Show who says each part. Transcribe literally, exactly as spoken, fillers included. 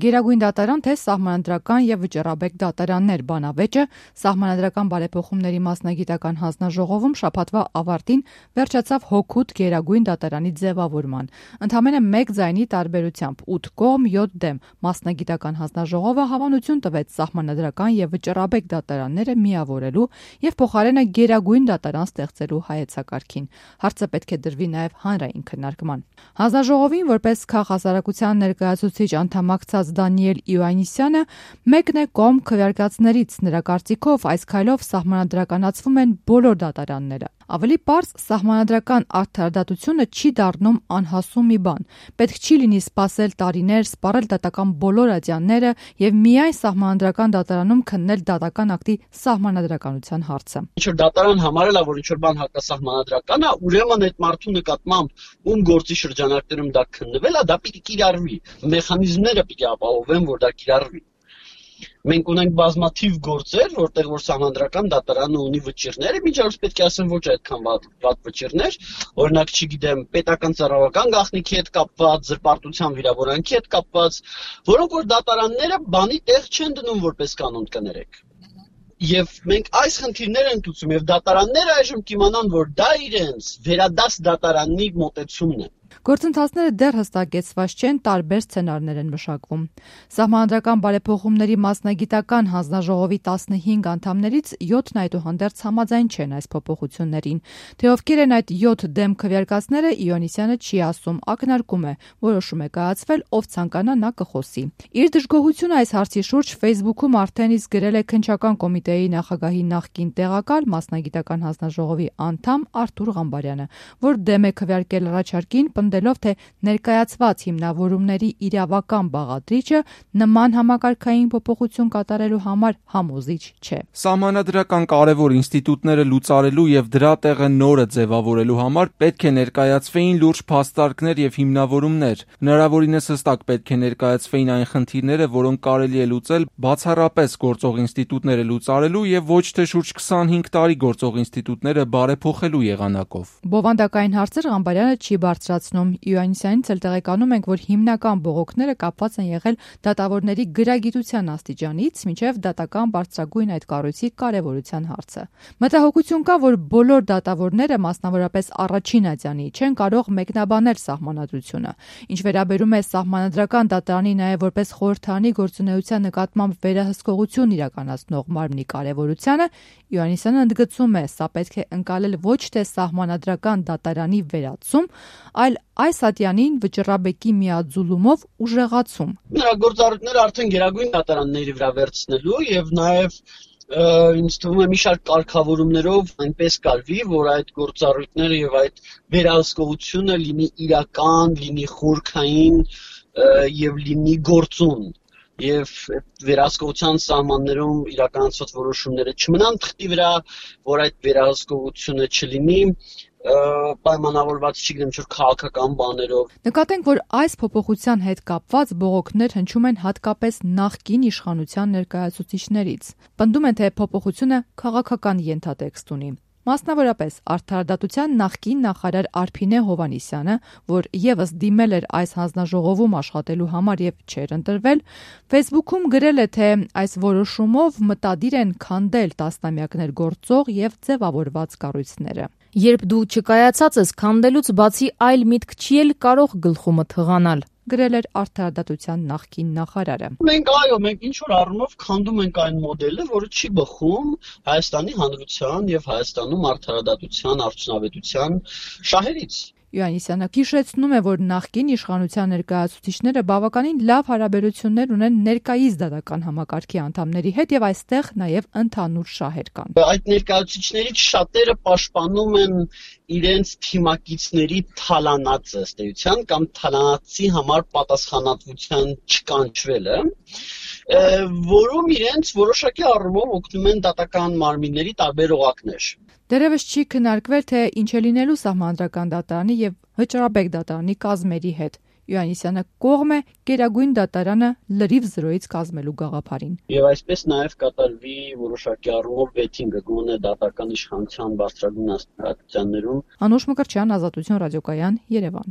Speaker 1: Գերագույն դատարան թե սահմանադրական եւ վճռաբեկ դատարաններ բանավեճը սահմանադրական բարեփոխումների մասնագիտական հանձնաժողովում շաբաթվա ավարտին վերջացավ հօգուտ Գերագույն դատարանի ձևավորման։ Ընդամենը մեկ ձայնի տարբերությամբ ութ կողմ յոթ դեմ մասնագիտական հանձնաժողովը հավանություն տվեց սահմանադրական եւ վճռաբեկ դատարանները միավորելու եւ փոխարենը Գերագույն դատարան ստեղծելու հայեցակարգին։ Հարցը պետք է դրվի նաեւ հանրային քննարկման։ Հանձնաժողովին որպես քաղաքասարակության ներկայացուցիչ անդամակցած Դանիել Իոաննիսյանը մեկն է կողմ քվեարկածներից, նրա կարծիքով այս քայլով սահմանադրականացվում են բոլոր դատարանները։ Ավելի պարզ, սահմանադրական արդարադատությունը չի դառնում անհասու մի բան։ Պետք չի լինի սպասել տարիներ, սպառել դատական բոլոր ատյանները եւ միայն սահմանադրական դատարանում քննել դատական ակտի սահմանադրականության հարցը։
Speaker 2: Ինչ որ դատարան համարել է, որ ինչ որ բան հակասահմանադրական է, ուրեմն այդ մարդու նկատմամբ ում գործի շրջանակներում դա քննվել է, դա պիտի կիրառվի։ Մեխանիզմները պիտի ապահովեն, որ դա կիրառվի։ Մենք ունենք բազմաթիվ գործեր, որտեղ որ սահմանադրական դատարանը ունի վճիռներ, միջազգ պետք է ասեմ ոչ այդքան վատ վճիռներ, օրինակ, չգիտեմ, պետական ծառայական գաղտնիքի հետ կապված, զրպարտության վիրավորանքի հետ կապված, որոնք որ դատարանները բանի տեղ չեն դնում որպես կանոն կներեք։ Եվ մենք այս խնդիրներ ենք ցույցում եւ դատարանները այժմ կիմանան, որ դա իրենց վերադաս դատարանի մոտեցումն է։
Speaker 1: Գործընթացները դեռ հստակեցված չեն, տարբեր սցենարներ են մշակվում։ Սահմանադրական բարեփոխումների մասնագիտական հանձնաժողովի տասնհինգ անդամներից յոթն այդուհանդերձ համաձայն չեն այս փոփոխություններին։ Թե ովքեր են այդ յոթ դեմ քվեարկածները, Իոաննիսյանը չի ասում, ակնարկում է, որոշում է կայացվել, ով ցանկանա նա կխոսի։ Իր դժգոհությունը այս հարցի շուրջ Facebook-ում արդեն իսկ գրել է քննչական կոմիտեի նախագահի նախկին տեղակալ մասնագիտական հանձնաժողովի անդամ Արթուր Ղամբարյանը, որ դեմ է քվեարկել առաջարկին, պնդելով, թե ներկայացված հիմնավորումների իրավական բաղադրիչը նման համակարգային փոփոխություն կատարելու համար համոզիչ չէ։
Speaker 3: Սահմանադրական կարևոր ինստիտուտները լուծարելու եւ դրա տեղը նորը ձևավորելու համար պետք է ներկայացվեին լուրջ փաստարկներ եւ հիմնավորումներ։ Հնարավորինս հստակ պետք է ներկայացվեին այն խնդիրները, որոնք կարելի է լուծել բացառապես գործող ինստիտուտները լուծարելու եւ ոչ թե շուրջ քսանհինգ տարի գործող ինստիտուտները բարեփոխելու եղանակով։
Speaker 1: Բովանդակային հարցեր Ղամբարյանը չի բարձրացնում։ Իոաննիսյանից էլ տեղեկանում ենք, որ հիմնական բողոքները կապված են եղել դատավորների գրագիտության աստիճանից մինչև դատական բարձրագույն այդ կառույցի կարևորության հարցը։ Մտահոգություն կա, որ բոլոր դատավորները, մասնավորապես առաջին ատյանի, չեն կարող մեկնաբանել սահմանադրությունը։ Ինչ վերաբերում է սահմանադրական դատարանի նաև որպես խորհրդարանի գործունեության նկատմամբ վերահսկողություն իրականացնող մարմնի կարևորությանը, Իոաննիսյանը ընդգծում է, սա պետք է ընկալել ոչ թե սահմանադրական դատարանի վերացում, այլ այս ատյանին վճռաբեկի միաձուլումով ուժեղացում։
Speaker 2: Նրա գործառույթները արդեն Գերագույն դատարանների վրա վերցնելու եւ նաեւ ինձ թվում է մի շարք կարգավորումներով այնպես կարվի, որ այդ գործառույթները եւ այդ վերահսկողությունը լինի իրական, լինի խորքային եւ լինի գործուն։ Եվ վերահսկողության սահմաններում իրականացված որոշումները չմնան թղթի վրա, որ այդ վերահսկողությունը չլինի պայմանավորված չգիտեմ ինչ-որ քաղաքական բաներով։
Speaker 1: Նկատենք, որ այս փոփոխության հետ կապված բողոքներ հնչում են հատկապես նախկին իշխանության ներկայացուցիչներից։ Պնդում են, թե փոփոխությունը քաղաքական ենթատեքստ ունի։ Մասնավորապես արդարադատության նախկին նախարար Արփինե Հովհաննիսյանը, որ եւս դիմել էր այս հանձնաժողովում աշխատելու համար եւ չէր ընտրվել, Facebook-ում գրել է, թե այս որոշումով մտադիր են քանդել տասնամյակներ գործող եւ ձևավորված կառույցները։ Երբ դու չկայացած ես քանդելուց բացի այլ միտք չի էլ կարող գլխումդ հղանալ, գրել էր արդարադատության նախկին նախարարը։
Speaker 2: Մենք այո, մենք ինչ որ առումով քանդում ենք այն մոդելը, որը չի բխում Հայաստանի Հանրության եւ Հայաստանում արդարադատության արդյունավետության շահերից։
Speaker 1: Իոաննիսյանը հիշեցնում է, որ նախկին իշխանության ներկայացուցիչները բավականին լավ հարաբերություններ ունեն ներկայիս դատական համակարգի անդամների հետ եւ այստեղ նաեւ ընդհանուր շահեր կան։
Speaker 2: Այդ ներկայացուցիչներից շատերը պաշտպանում են իրենց թիմակիցների թալանած ըստ էության կամ թալանածի համար պատասխանատվության չկանչվելը, որում իրենց որոշակի առումով օգնում են դատական մարմինների տարբեր օղակներ։
Speaker 1: Դեռևս չի քննարկվել, թե ինչ է լինելու սահմանադրական դատարանի եւ վճռաբեկ դատարանի կազմերի հետ։ Իոաննիսյանը կողմ է Գերագույն դատարանը լրիվ զրոյից կազմելու գաղափարին։
Speaker 2: Եվ այսպես նաեւ կատարվի որոշակի առումով վեթինգը գոնե դատական իշխանության բարձրագույն աստիճաններում։
Speaker 1: Անուշ Մկրտչյան, Ազատություն ռադիոկայան, Երևան։